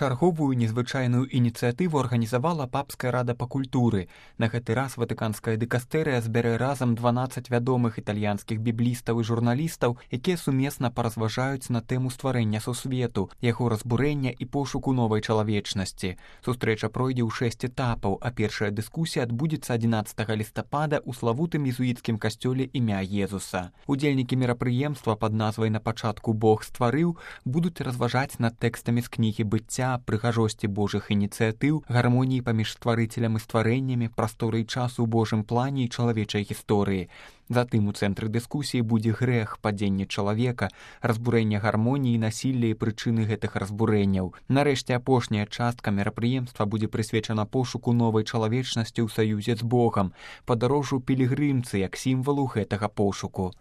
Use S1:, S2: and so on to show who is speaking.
S1: Чарговую незвычайную ініцыятыву арганізавала папская рада па культуры. На гэты раз ватыканская дыкастэрыя збярэ разам 12 вядомых італьянскіх біблістаў і журналістаў, якія сумесна паразважаюць на тэму стварэння сусвету, яго разбурэння і пошуку новай чалавечнасці. Сустрэча пройдзе ў 6 этапаў, а першая дыскусія адбудзецца 11 лістапада ў славутым езуіцкім касцёле імя Езуса. Удзельнікі мерапрыемства пад назвай «На пачатку Бог стварыў» будуць разважаць над тэкстамі з кнігі быцця, прыгажосці Божых ініцыятыў, гармоніі паміж стварыцелем і стварэннямі, прасторы і часу ў Божым плане і чалавечай гісторыі. Затым у цэнтры дыскусіі будзе грэх, падзенне чалавека, разбурэнне гармоніі, насілля і прычыны гэтых разбурэнняў. Нарэшце апошняя частка мерапрыемства будзе прысвечана пошуку новай чалавечнасці ў саюзе з Богам, падарожжу пілігрымцы як сімвалу гэтага пошуку.